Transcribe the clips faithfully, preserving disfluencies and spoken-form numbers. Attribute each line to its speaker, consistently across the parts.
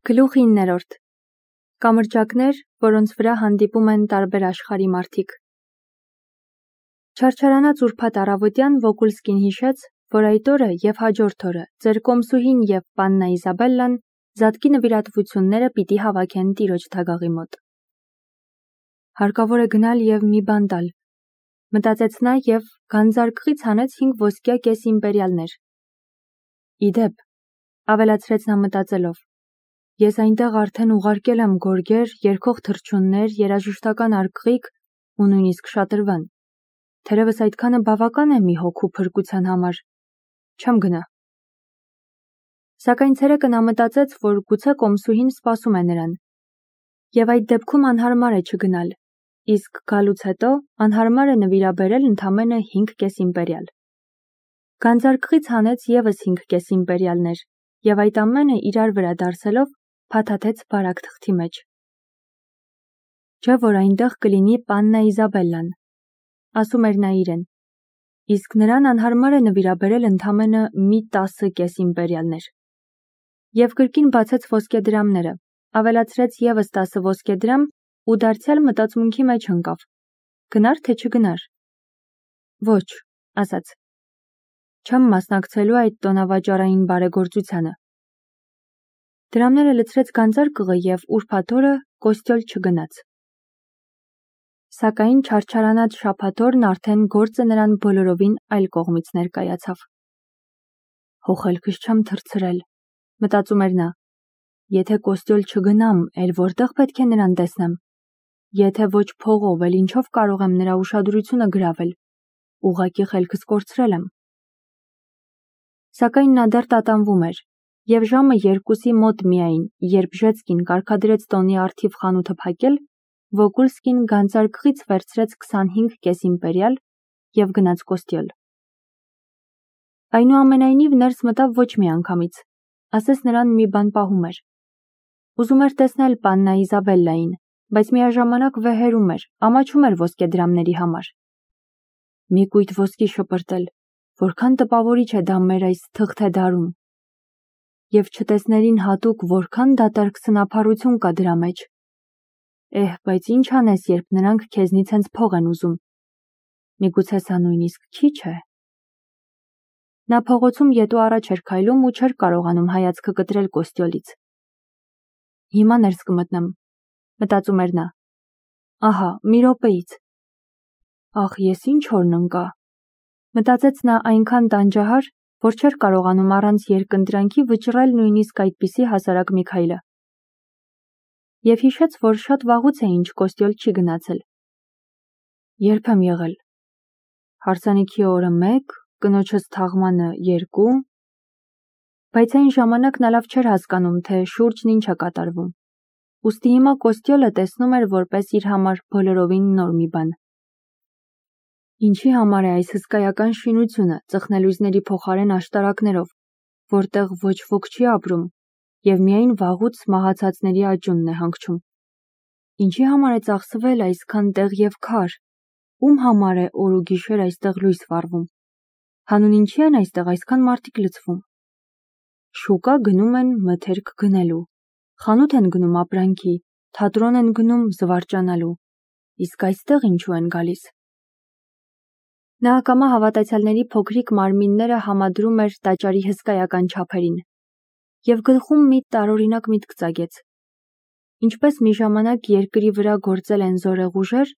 Speaker 1: Գլուխ իններորդ Կամրջակներ, որոնց վրա հանդիպում են տարբեր աշխարհի մարդիկ։ Չարչարանած ուրբաթ առավոտյան Վոկուլսկին հիշեց, որ այդ օրը և հաջորդ օրը ձեր կոմսուհին և պաննա Իզաբելլան զատկի նվիրատվությունները պիտի հավաքեն տիրոջ թագաղի մոտ։ Հարկավոր է գնալ և մի բան տալ, մտածեց նա և գանձարկղից հանեց հինգ ոսկյա կես իմպերիալներ։ Իդեպ, ավելացրեց նա մտածելով, ես այնտեղ արդեն ուղարկել եմ գորգեր, երգող թռչուններ, երաժշտական արկղիկ ու նույնիսկ շատրվան։ Թերևս այդքանը բավական է մի հոգու փրկության համար, չեմ գնա։ Սակայն ցերեկը նա մտածեց, որ գուցե կոմսուհին սպասում է նրան, և այդ դեպքում անհարմար է չգնալ, իսկ գալուց հետո անհարմար է նվիրաբերել ընդամենը հինգ կես իմպերիալ։ Գանձարկղից հանեց ևս հինգ կես իմպերիալներ, և այդ ամենը իրար վրա դարսելով փաթաթեց բարակ թղթի մեջ։ Չէ՞ որ այնտեղ կլինի պաննա Իզաբելլան, ասում էր նա իրեն, իսկ նրան անհարմար է նվիրաբերել ընդամենը մի տասը կես իմպերիալներ։ Եվ կրկին բացեց ոսկեդրամները, ավելացրեց ևս տասը ոսկեդրամ ու դարձյալ մտածմունքի մեջ ընկավ. գնար թե չգնար։ Ոչ, ասաց, չեմ մասնակցելու այդ տոնավաճառային բարեգործությանը։ Դրամները լցրեց գանձարկղը և ուրբաթ օրը կոստյոլ չգնաց։ Սակայն չարչարանած շաբաթ օրն արդեն գործը նրան բոլորովին այլ կողմից ներկայացավ։ Հոխելքս չեմ թռցրել, մտածում էր նա, եթե կոստյոլ չգնամ, էլ որտեղ պետք է նրան տեսնեմ։ Եթե ոչ փողով, էլ ինչով կարող եմ նրա ուշադրությունը գրավել, ուղղակի խելքս կորցրել եմ։ Սակայն նա դեռ տատանվում էր, և ժամը երկուսի մոտ միայն, երբ Ժեցկին կարգադրեց տոնի առթիվ խանութը փակել, Վոկուլսկին գանձարկղից վերցրեց քսանհինգ կես իմպերիալ և գնաց կոստյոլ։ Այնուամենայնիվ ներս մտավ ոչ մի անգամից, ասես նրան մի բան պահում էր։ Ուզում էր տեսնել պաննա Իզաբելլային, բայց միաժամանակ վեհերում էր, ամաչում էր ոսկեդրամների համար։ Մի կույտ ոսկի շպրտել, որքան տպավորիչ է դա մեր այս թղթե դարում։ Եվ չտեսներին հատուկ որքան դատարկ սնափառություն կա դրա մեջ։ Էհ, բայց ինչ անես, երբ նրանք քեզնից հենց փող են ուզում։ Միգուցե սա նույնիսկ քիչ է։ Նա փողոցում ետու առաջ էր քայլում ու չէր կարողանում հայացքը կտրել կոստյոլից։ Հիմա ներս կմտնեմ, մտածում էր նա։ Ահա, մի րոպեից։ Ախ, ես ինչ օրն ընկա։ Մտածեց նա այնքան տանջահար, որ չէր կարողանում առանց երկընտրանքի վճռել նույնիսկ այդպիսի հասարակ մի քայլը։ Եվ հիշեց, որ շատ վաղուց է ինչ կոստյոլ չի գնացել։ Երբ եմ եղել։ Հարսանիքի օրը մեկ, կնոջս թաղմանը երկու, բայց այն ժամանակ նա լավ չէր հասկանում, թե շուրջն ինչ է կատարվում։ Ուստի հիմա կոստյոլը տեսնում էր որպես իր համար բոլորովին նոր մի բան։ Ինչի համար է այս հսկայական շինությունը ծխնելույզների փոխարեն աշտարակներով, որտեղ ոչ ոք չի ապրում, և միայն վաղուց մահացածների աջունն է հանգչում։ Ինչի համար է ծախսվել այսքան տեղ և քար, ում համար է օր ու գիշեր այստեղ լույս վառվում, հանուն ինչի են այստեղ այսքան մարդիկ լցվում։ Շուկա գնում են մթերք գնելու, խանութ են գնում ապրանքի, թատրոն են գնում զվարճանալու, իսկ այստեղ ինչու են գալիս։ Նա ակամա հավատացյալների փոքրիկ մարմինները համադրում էր տաճարի հսկայական չափերին, և գլխում մի տարօրինակ միտք ծագեց։ Ինչպես մի ժամանակ երկրի վրա գործել են զորեղ ուժեր,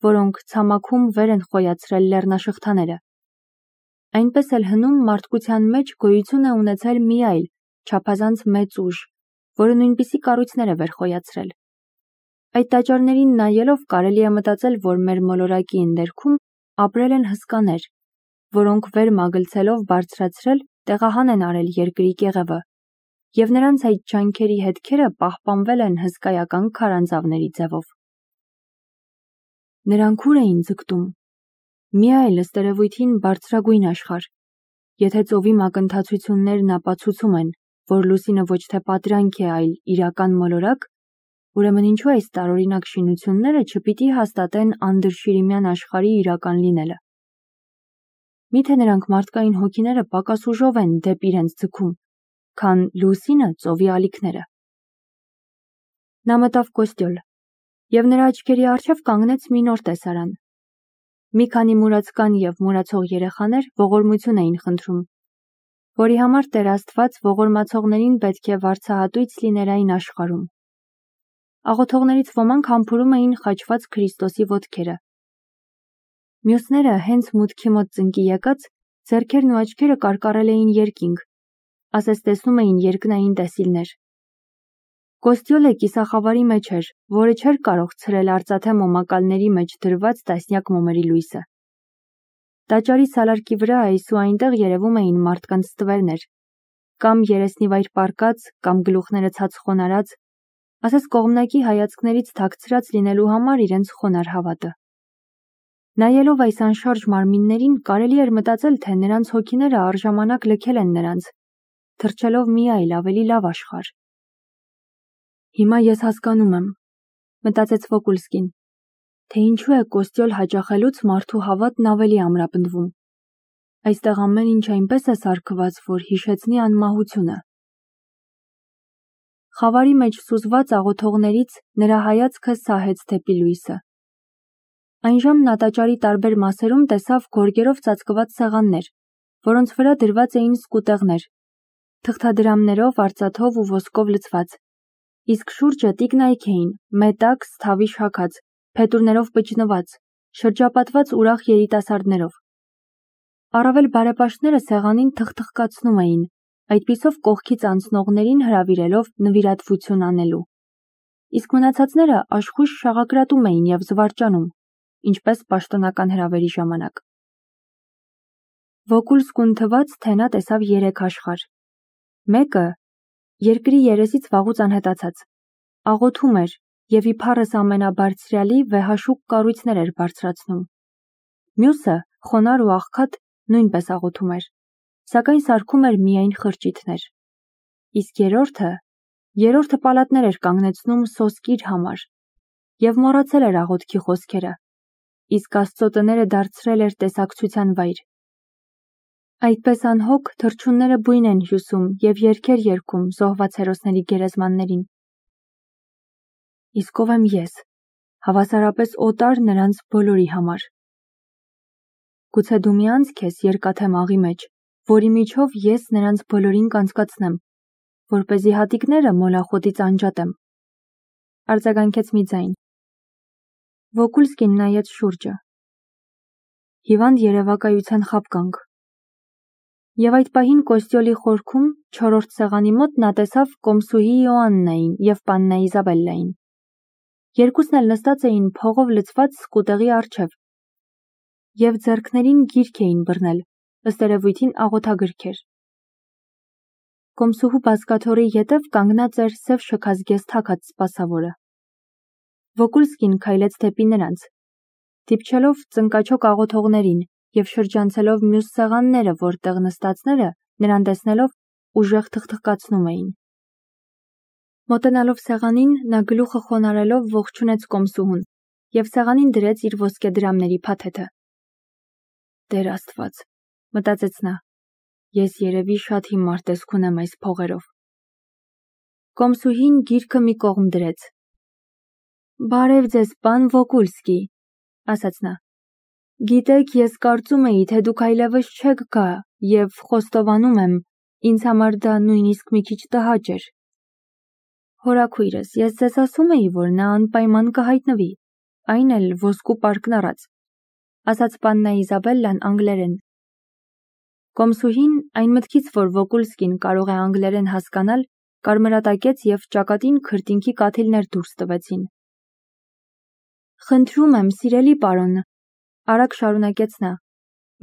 Speaker 1: որոնք ցամաքում վեր են խոյացրել լեռնաշղթաները, այնպես էլ հնում մարդկության մեջ գոյություն է ունեցել մի այլ, չափազանց մեծ ուժ, որը նույնպիսի կառույցներ է վեր խոյացրել։ Այդ տաճարներին նայելով կարելի է մտածել, որ մեր մոլորակի ընդերքում ապրել են հսկաներ, որոնք վեր մագլցելով բարձրացրել տեղահան են արել երկրի կեղևը, և նրանց այդ ջանքերի հետքերը պահպանվել են հսկայական քարանձավների ձևով։ Նրանք ուր էին ձգտում։ Մի այլ ըստ երևույթին բարձրագույն աշխարհ։ Եթե ծովի մակընթացություններն ապացուցում են, որ լուսինը ոչ թե պատրանք է, այլ իրական մոլորակ, ուրեմն ինչու այս տարօրինակ շինությունները չպիտի հաստատեն անդրշիրիմյան աշխարհի իրական լինելը։ Միթե նրանք մարդկային հոգիները պակաս ուժով են դեպի իրենց ձգում, քան լուսինը ծովի ալիքները։ Նա մտավ կոստյոլ, և նրա աչքերի առջև կանգնեց մի նոր տեսարան։ Մի քանի մուրացկան և մուրացող երեխաներ ողորմություն էին խնդրում, որի համար Տեր Աստված ողորմացողներին պետք է վարձահատույց լիներ այն աշխարհում։ Աղոթողներից ոմանք համբուրում էին խաչված Քրիստոսի ոտքերը։ Մյուսները հենց մուտքի մոտ ծնկի եկած, ձեռքերն ու աչքերը կարկառել էին երկինք, ասես տեսնում էին երկնային տեսիլներ։ Կոստյոլը կիսախավարի մեջ էր, որը չէր կարող ցրել արծաթե մոմակալների մեջ դրված տասնյակ մոմերի լույսը։ Տաճարի սալարկի վրա այս ու այնտեղ երևում էին մարդկանց ստվերներ, կամ երեսնիվայր պառկած, կամ գլուխները ցած խոնարհած, ասես կողմնակի հայացքներից թաքցրած լինելու համար իրենց խոնարհ հավատը։ Նայելով այս անշարժ մարմիններին, կարելի էր մտածել, թե նրանց հոգիները առժամանակ լքել են նրանց, թռչելով մի այլ ավելի լավ աշխարհ։ Հիմա ես հասկանում եմ, մտածեց Վոկուլսկին, թե ինչու է կոստյոլ հաճախելուց մարդու հավատն ավելի ամրապնդվում։ Այստեղ ամեն ինչ այնպես է սարքված, որ հիշեցնի անմահությունը։ Խավարի մեջ սուզված աղոթողներից նրա հայացքը սահեց դեպի լույսը։ Այն ժամն նա տաճարի տարբեր մասերում տեսավ գորգերով ծածկված սեղաններ, որոնց վրա դրված էին սկուտեղներ, թղթադրամներով, արծաթով ու ոսկով լցված, իսկ շուրջը տիկնայք էին, մետաքս, թավի շաքած, փետուրներով պճնված, շրջապատված ուրախ երիտասարդներով։ Առավել բարեպաշտները սեղանին թխթխկացնում էին, այդպիսով կողքից անցնողներին հրավիրելով նվիրատվություն անելու։ Իսկ մնացածները աշխույժ շաղակրատում էին և զվարճանում, ինչպես պաշտոնական հրավերի ժամանակ։ Վոկուլսկուն թվաց, թե նա տեսավ երեք աշխարհ։ Մեկը երկրի երեսից վաղուց անհետացած, աղոթում էր և իբարս ամենաբարձրյալի վեհաշուկ կառույցներ էր բարձրացնում։ Մյուսը, խոնարհ ու աղքատ, նույնպես աղոթում էր, սակայն սարքում էր միայն խրճիթներ։ Իսկ երրորդը, երրորդը պալատներ էր կանգնեցնում սոսկիր համար և մոռացել էր աղոթքի խոսքերը, իսկ Աստծո տները դարձրել էր տեսակցության վայր։ Այդպես անհոգ թռչունները բույն են հյուսում և երգեր երգում զոհված հերոսների գերեզմաններին։ Իսկ ով եմ ես, հավասարապես օտար նրանց բոլորի համար։ Գուցե դու մի անցք ես երկաթե մաղի մեջ, որի միջով ես նրանց բոլորին կանցկացնեմ, որպեսզի հատիկները մոլախոտից անջատեմ։ Արձագանքեց մի ձայն։ Վոկուլսկին նայեց շուրջը։ Հիվանդ երևակայության խաբկանք։ Եվ այդ պահին կոստյոլի խորքում, չորրորդ սեղանի մոտ նա տեսավ կոմսուհի Իոաննային և պաննա Իզաբելլային։ Երկուսն էլ նստած էին փողով լցված սկուտեղի առջև և ձեռքներին գիրք էին բռնել, ըստ երևույթին աղոթագրքեր։ Կոմսուհու բազկաթոռի ետև կանգնած էր սև շքազգեստ թաքած սպասավորը։ Վոկուլսկին քայլեց դեպի նրանց, դիպչելով ծնկաչոք աղոթողներին և շրջանցելով մյուս սեղանները, որտեղ նստածները, նրան տեսնելով, ուժեղ թխթխկացնում էին։ Մոտենալով սեղանին, նա գլուխը խոնարհելով ողջունեց կոմսուհուն և սեղանին դրեց իր ոսկեդրամների փաթեթը։ Տեր Աստված, մտածեց նա, ես երևի շատ հիմար տեսք ունեմ այս փողերով։ Կոմսուհին գիրքը մի կողմ դրեց։ Բարև ձեզ, պան Վոկուլսկի, ասաց նա։ Գիտեք, ես կարծում էի, թե դուք այլևս չեք գա և խոստովանում եմ, ինձ համար դա նույնիսկ մի քիչ տհաճ էր։ Հորաքույրս, ես ձեզ ասում էի, որ նա անպայման կհայտնվի, այն էլ ոսկու պարկն առած, ասաց պաննա Իզաբելլան անգլերեն։ Կոմսուհին, այն մտքից, որ Վոկուլսկին կարող է անգլերեն հասկանալ, կարմրատակեց և ճակատին քրտինքի կաթիլներ դուրս տվեցին։ Խնդրում եմ, սիրելի պարոն, արագ շարունակեց նա,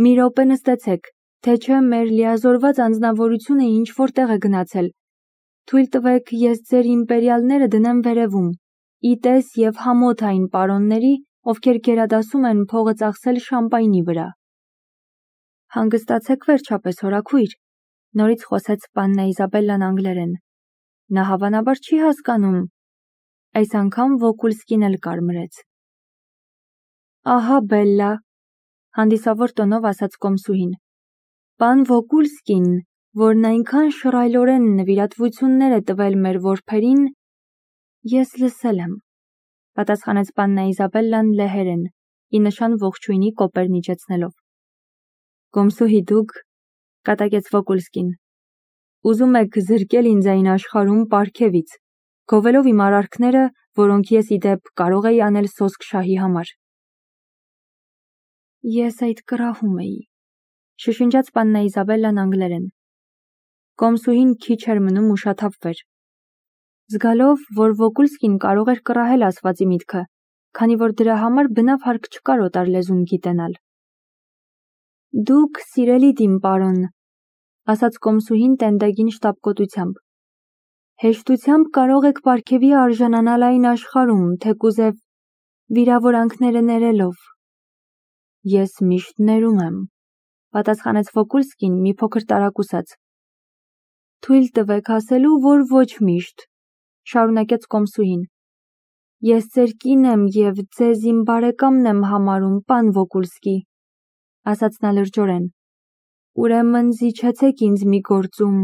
Speaker 1: մի րոպե նստեցեք, թե չէ մեր լիազորված անձնավորությունը ինչ-որ տեղ է գնացել։ Թույլ տվեք, ես ձեր իմպերիալները դնեմ վերևում, ի տես և համոթ այն պարոնների, ովքեր գերադասում են փողը ծախսել շամպայնի վրա։ Հանգստացեք վերջապես, հորաքույր, նորից խոսեց պաննա Իզաբելլան անգլերեն։ Նա հավանաբար չի հասկանում։ Այս անգամ Վոկուլսկին էլ կարմրեց։ Ահա Բելլա, հանդիսավոր տոնով ասաց կոմսուհին։ Պան Վոկուլսկին, որն այնքան շռայլորեն նվիրատվություններ է տվել մեր որբերին, Ես լսել եմ, պատասխանեց պաննա Իզաբելլան լեհերեն, ի նշան ողջույնի կոպերն իջեցնելով։ Կոմսուհի դուք, կատակեց Վոկուլսկին, ուզում եք զրկել ինձ այն աշխարհում պարգևից, գովելով իմ արարքները, որոնք ես ի դեպ կարող էի անել սոսկ շահի համար։ Ես այդ կռահում էի, շշնջաց պաննա Իզաբելլան անգլերեն։ Կոմսուհին քիչ էր մնում ուշաթափվեր, զգալով, որ Վոկուլսկին կարող էր կռահել ասվածի միտքը, քանի որ դրա համար բնավ հարկ չկար օտար լեզուն գիտենալ։ Դուք սիրելի դիմ պարոն, ասաց Կոմսուհին տենդագին շտապկոտությամբ, հեշտությամբ կարող եք պարգևի արժանանալ այն աշխարհում, թեկուզև վիրավորանքները ներելով։ Ես միշտ ներում եմ, պատասխանեց Վոկուլսկին մի փոքր տարակուսած։ Թույլ տվեք ասելու, որ ոչ միշտ, շարունակեց Կոմսուհին։ Ես ձեր կին եմ և ձեզ իմ բարեկամն եմ համարում, պան Վոկուլսկի, ասաց նա լրջորեն։ Ուրեմն զիջեցեք ինձ մի գործում,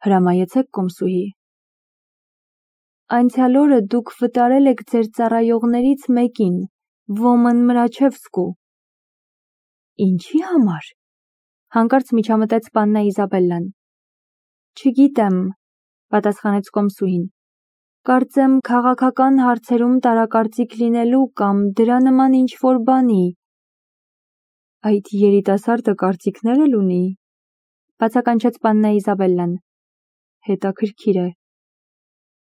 Speaker 1: հրամայեցեք Կոմսուհի։ Անցյալ օրը դուք վտարել եք ձեր ծառայողներից մեկին, Ոմն Մրաչևսկու։ Ինչի համար, հանկարծ միջամտեց պաննա Իզաբելլան։ Չգիտեմ, պատասխանեց Կոմսուհին, կարծեմ քաղաքական հարցերում տարակարծիք լինելու կամ դրա նման ինչ-որ բանի։ Այդ երիտասարդը կարծիքներ էլ ունի, բացականչեց պաննա Իզաբելլան։ Հետաքրքիր է։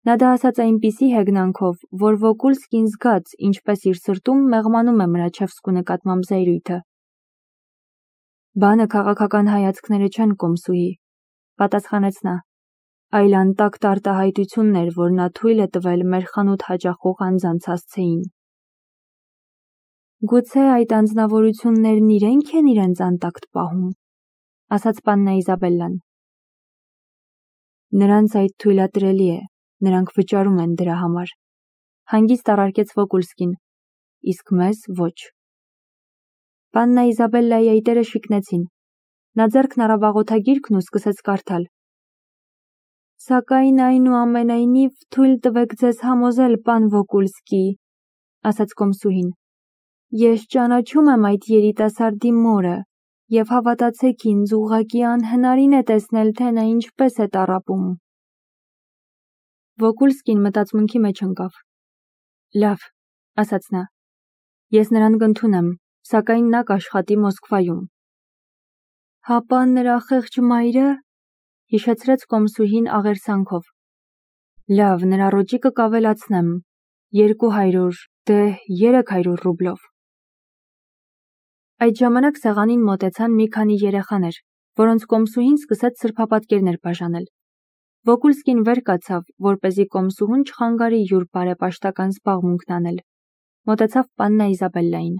Speaker 1: Նա դա ասաց այնպիսի հեգնանքով, որ Վոկուլսկին զգաց, ինչպես իր սրտում մեղմանում է Մրաչևսկու նկատմամբ զայրույթը։ Բանը քաղաքական հայացքները չեն, Կոմսուհի, պատասխանեց նա, այլ անտակտ արտահայտություններ, որ նա թույլ է տվել մեր խանութ հաճախող անձանց հասցեին։ Գուցե այդ անձնավորություններն իրենք են իրենց անտակտ պահում, ասաց պաննա Իզաբելլան։ Նրանց այդ թույլատրելի է, նրանք վճարում են դրա համար, հանգիստ առարկեց Վոկուլսկին, իսկ մեզ ոչ։ Պաննա Իզաբելլայի այտերը շիկնեցին, նա ձեռքն առավ աղոթագիրքն ու սկսեց կարդալ։ Սակայն այնուամենայնիվ թույլ տվեք ձեզ համոզել, պան Վոկուլսկի, ասաց Կոմսուհին։ Ես ճանաչում եմ այդ երիտասարդի մորը, և հավատացեք ինձ, ուղղակի անհնարին է տեսնել, թե նա ինչպես է տառապում։ Վոկուլսկին մտածմունքի մեջ ընկավ։ Լավ, ասաց նա, ես նրան կընդունեմ, սակայն նա կաշխատի Մոսկվայում։ Հապա նրա խեղճ մայրը, հիշեցրեց Կոմսուհին աղերսանքով։ Լավ, նրա ռոճիկը կավելացնեմ, երկու հարյուր, դե երեք հարյուր ռուբլով։ Այդ ժամանակ սեղանին մոտեցան մի քանի երեխաներ, որոնց Կոմսուհին սկսեց սրբապատկերներ բաժանել։ Վոկուլսկին վեր կացավ, որպեսզի Կոմսուհուն չխանգարի յուր բարեպաշտական զբաղմունքն անել։ Մոտեցավ պաննա Իզաբելլային։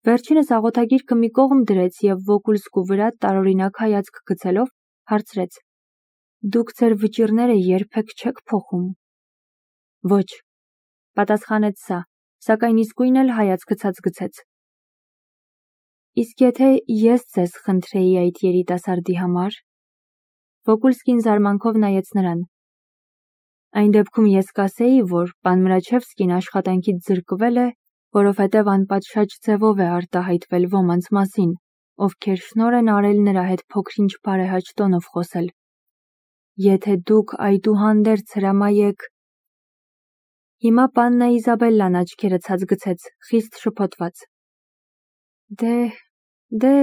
Speaker 1: Վերջինս աղոթագիրքը մի կողմ դրեց և Վոկուլսկու վրա տարօրինակ հայացք գցելով հարցրեց. Դուք ձեր վճիռները երբեք չեք փոխում։ Ոչ, պատասխանեց սա, սակայն իսկույն էլ հայացքը ցած գցեց։ Իսկ եթե ես ձեզ խնդրեի այդ երիտասարդի համար։ Վոկուլսկին զարմանքով նայեց նրան։ Այն դեպքում ես կասեի, որ պան Մրաչևսկին աշխատանքից զրկվել է, որովհետև անպատշաճ ձևով է արտահայտվել ոմանց մասին, ովքեր շնոր են արել նրա հետ փոքրինչ բարեհաճ տոնով խոսել։ Եթե դուք այդուհանդերձ հրամայեք։ Հիմա պաննա Իզաբելլան աչքերը ցած գցեց, խիստ շփոթված։ Դե, դե,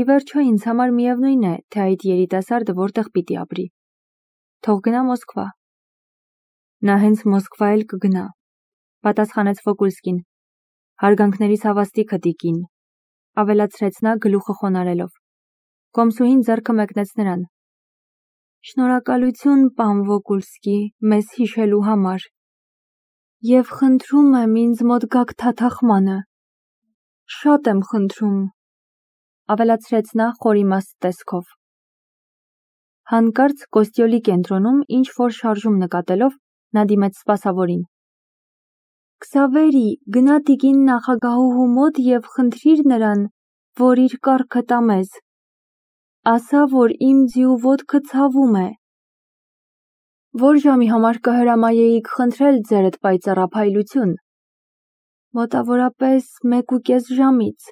Speaker 1: ի վերջո ինձ համար միևնույն է, թե այդ երիտասարդը որտեղ պիտի ապրի։ Թող գնա Մոսկվա։ Նա հենց Մոսկվա էլ կգնա, պատասխանեց Վոկուլսկին։ Հարգանքներիս հավաստիքը տիկին, ավելացրեց նա գլուխը խոնարելով։ Կոմսուհին ձեռքը մեկնեց նրան։ Շնորհակալություն, պան Վոկուլսկի, մեզ հիշելու համար։ Եվ խնդրում եմ ինձ մոտ գաք թաթախմանը։ Շատ եմ խնդրում, ավելացրեց նա խորիմաստ տեսքով։ Հանկարծ Կոստյոլի կենտրոնում ինչ-որ շարժում նկատելով, նա դիմեց սպասավորին։ Քսավերի, գնա տիկին նախագահուհու մոտ և խնդրիր նրան, որ իր կառքը տա մեզ։ Ասա, որ իմ ձիու ոտքը ցավում է։ Որ ժամի համար կհրամայեիք խնդրել ձերդ պայծառափայլություն։ Մոտավորապես մեկ ու կես ժամից։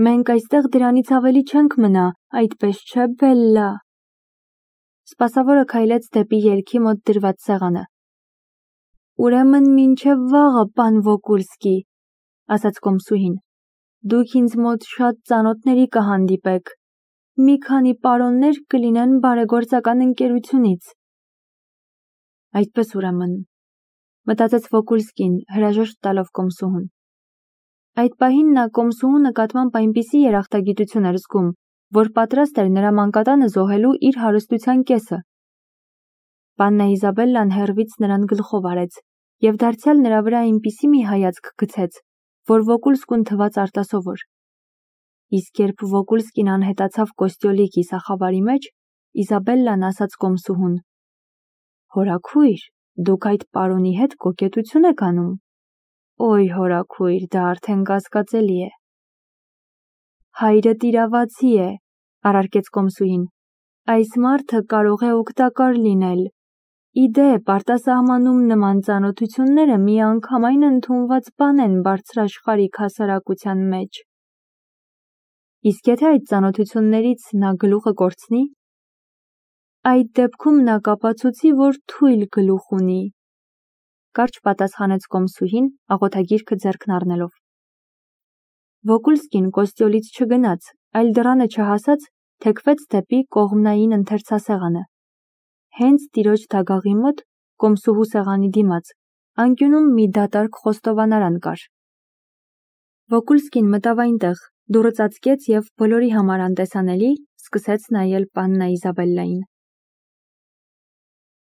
Speaker 1: Մենք այստեղ դրանից ավելի չենք մնա, այդպես չէ, Բելլա։ Սպասավորը քայլեց դեպի ելքի մոտ դրված սեղանը։ Ուրեմն մինչև վաղը, պան Վոկուլսկի, ասաց կոմսուհին։ Դուք ինձ մոտ շատ ծանոթների կհանդիպեք։ Մի քանի պարոններ կլինեն բարեգործական ընկերությունից։ Այդպես ուրեմն, մտածեց Վոկուլսկին, հրաժեշտ տալով կոմսուհուն։ Այդ պահին նա կոմսուհու նկատմամբ այնպիսի երախտագիտություն էր զգում, որ պատրաստ էր նրա մանկատանը զոհելու իր հարստության կեսը։ Պաննա Իզաբելլան հեռվից նրան գլխով արեց և դարձյալ նրա վրա այնպիսի մի հայացք գցեց, որ Վոկուլսկուն թվաց արտասովոր։ Իսկ երբ Վոկուլսկին անհետացավ Կոստյոլի կիսախավարի մեջ, Իզաբելլան ասաց կոմսուհուն. Հորաքույր, դուք այդ պարոնի հետ կոկետություն եք անում։ Ոյ հորաքույր, դա արդեն կասկածելի է։ Հայրդ իրավացի է, առարկեց կոմսուհին։ Այս մարդը կարող է օգտակար լինել։ Իդեպ, արտասահմանում նման ծանոթությունները միանգամայն ընդունված բան են բարձրաշխարհիկ հասարակության մեջ։ Իսկ եթե այդ ծանոթություններից նա գլուխը կորցնի։ Այդ դեպքում նա կապացուցի, որ թույլ գլուխ ունի, կարճ պատասխանեց կոմսուհին, աղոթագիրքը ձեռքն առնելով։ Վոկուլսկին Կոստյոլից չգնաց, այլ դռանը չհասած, թեքվեց դեպի կողմնային ընթերցասեղանը։ Հենց տիրոջ դագաղի մոտ, կոմսուհու սեղանի դիմաց, անկյունում մի դատարկ խոստովանարան կար։ Վոկուլսկին մտավ այնտեղ, դուռը ծածկեց և բոլորի համար անտեսանելի սկսեց նայել պաննա Իզաբելլային։